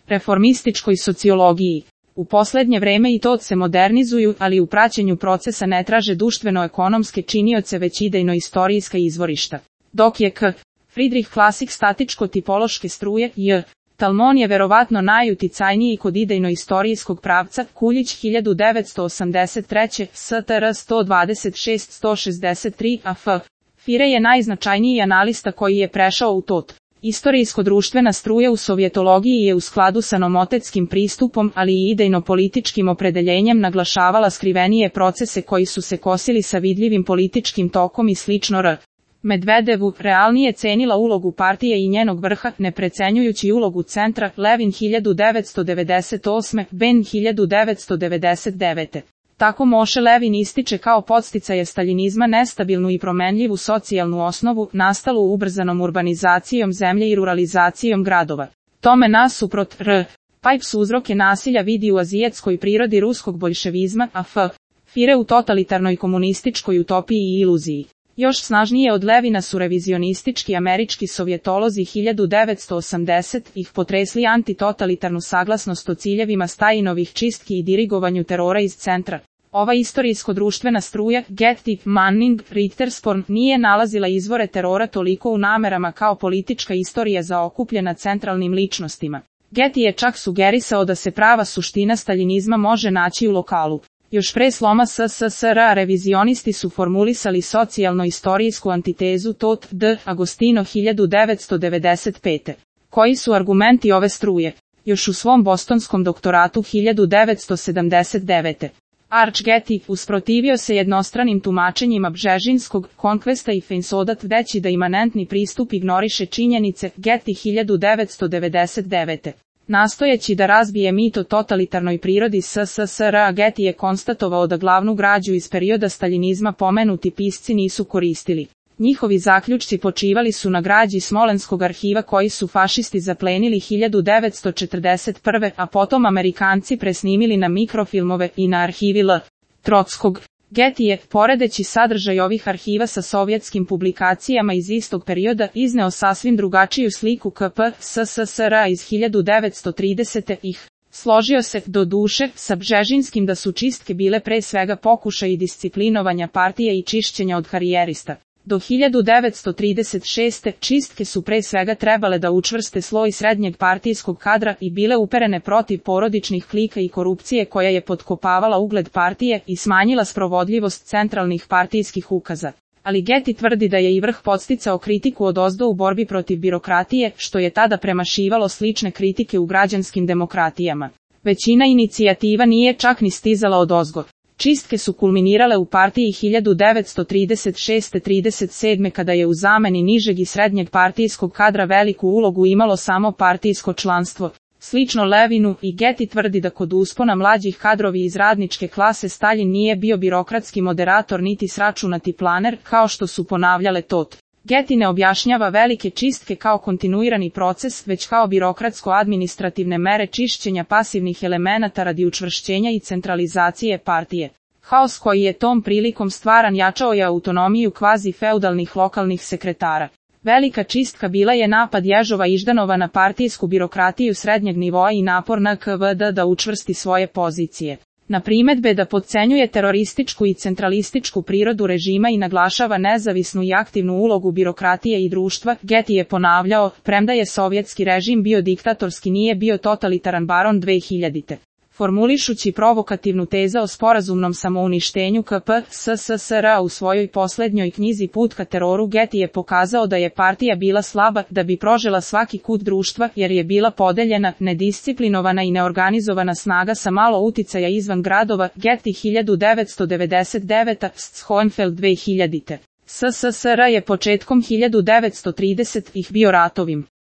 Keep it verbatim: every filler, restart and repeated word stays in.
reformističkoj sociologiji. U posljednje vreme i to se modernizuju, ali u praćenju procesa ne traže društveno-ekonomske činioce već idejno-istorijska izvorišta. Dok je K. Friedrich klasik statičko-tipološke struje, J. Talmon je verovatno najuticajniji kod idejno-istorijskog pravca, Kuljić hiljadu devetsto osamdeset treće. S T R sto dvadeset šest do sto šezdeset tri. A F. Fire je najznačajniji analista koji je prešao u tot. Istorijsko-društvena struja u sovjetologiji je u skladu sa nomotetskim pristupom, ali i idejno-političkim opredeljenjem naglašavala skrivenije procese koji su se kosili sa vidljivim političkim tokom i slično R. Medvedevu realnije cenila ulogu partije i njenog vrha, ne precenjujući ulogu centra, Levin hiljadu devetsto devedeset osme. Ben hiljadu devetsto devedeset devete. Tako Moše Levin ističe kao podsticaje staljinizma nestabilnu i promenljivu socijalnu osnovu, nastalu ubrzanom urbanizacijom zemlje i ruralizacijom gradova. Tome nasuprot R. Pipes uzroke nasilja vidi u azijetskoj prirodi ruskog boljševizma, a F. Fire u totalitarnoj komunističkoj utopiji i iluziji. Još snažnije od Levina su revizionistički američki sovjetolozi hiljadu devetsto osamdeset ih potresli antitotalitarnu saglasnost o ciljevima Stajinovih čistki i dirigovanju terora iz centra. Ova istorijsko-društvena struja, Getty, Manning, Richtersporn, nije nalazila izvore terora toliko u namerama kao politička istorija zaokupljena centralnim ličnostima. Getty je čak sugerisao da se prava suština staljinizma može naći u lokalu. Još pre sloma S S S R revizionisti su formulisali socijalno-istorijsku antitezu tot D. Agostino hiljadu devetsto devedeset pete. Koji su argumenti ove struje? Još u svom bostonskom doktoratu hiljadu devetsto sedamdeset devete. Arch Getty usprotivio se jednostranim tumačenjima Bžežinskog konkvesta i Feinsodat deći da imanentni pristup ignoriše činjenice, Getty hiljadu devetsto devedeset devete. Nastojeći da razbije mit o totalitarnoj prirodi S S S R, Getty je konstatovao da glavnu građu iz perioda staljinizma pomenuti pisci nisu koristili. Njihovi zaključci počivali su na građi Smolenskog arhiva koji su fašisti zaplenili hiljadu devetsto četrdeset prve. a potom Amerikanci presnimili na mikrofilmove i na arhivi L. Trotskog. Getty je, poredeći sadržaj ovih arhiva sa sovjetskim publikacijama iz istog perioda, izneo sasvim drugačiju sliku K P S S S R iz hiljadu devetsto tridesete. ih. Složio se, do duše, sa Bžežinskim da su čistke bile pre svega pokušaj disciplinovanja partije i čišćenja od karijerista. Do hiljadu devetsto trideset šeste. čistke su pre svega trebale da učvrste sloj srednjeg partijskog kadra i bile uperene protiv porodičnih klika i korupcije koja je potkopavala ugled partije i smanjila sprovodljivost centralnih partijskih ukaza. Ali Getty tvrdi da je i vrh podsticao kritiku odozdo u borbi protiv birokratije, što je tada premašivalo slične kritike u građanskim demokratijama. Većina inicijativa nije čak ni stizala odozgo. Čistke su kulminirale u partiji hiljadu devetsto trideset šeste do trideset sedme. kada je u zameni nižeg i srednjeg partijskog kadra veliku ulogu imalo samo partijsko članstvo. Slično Levinu, i Getty tvrdi da kod uspona mlađih kadrovi iz radničke klase Staljin nije bio birokratski moderator niti sračunati planer, kao što su ponavljale tot. Getty ne objašnjava velike čistke kao kontinuirani proces, već kao birokratsko-administrativne mere čišćenja pasivnih elemenata radi učvršćenja i centralizacije partije. Haos koji je tom prilikom stvaran jačao je autonomiju kvazi-feudalnih lokalnih sekretara. Velika čistka bila je napad Ježova Iždanova na partijsku birokratiju srednjeg nivoa i napor N K V D da učvrsti svoje pozicije. Na primedbe da podcenjuje terorističku i centralističku prirodu režima i naglašava nezavisnu i aktivnu ulogu birokratije i društva, Getty je ponavljao, premda je sovjetski režim bio diktatorski nije bio totalitaran baron dvehiljadite. Formulišući provokativnu tezu o sporazumnom samouništenju K P S S S R u svojoj posljednjoj knjizi Put ka teroru, Getty je pokazao da je partija bila slaba da bi prožela svaki kut društva, jer je bila podeljena, nedisciplinovana i neorganizovana snaga sa malo uticaja izvan gradova. Getty hiljadu devetsto devedeset devete. Schoenfeld dvehiljadite. S S S R je početkom hiljadu devetsto tridesetih bio ratovim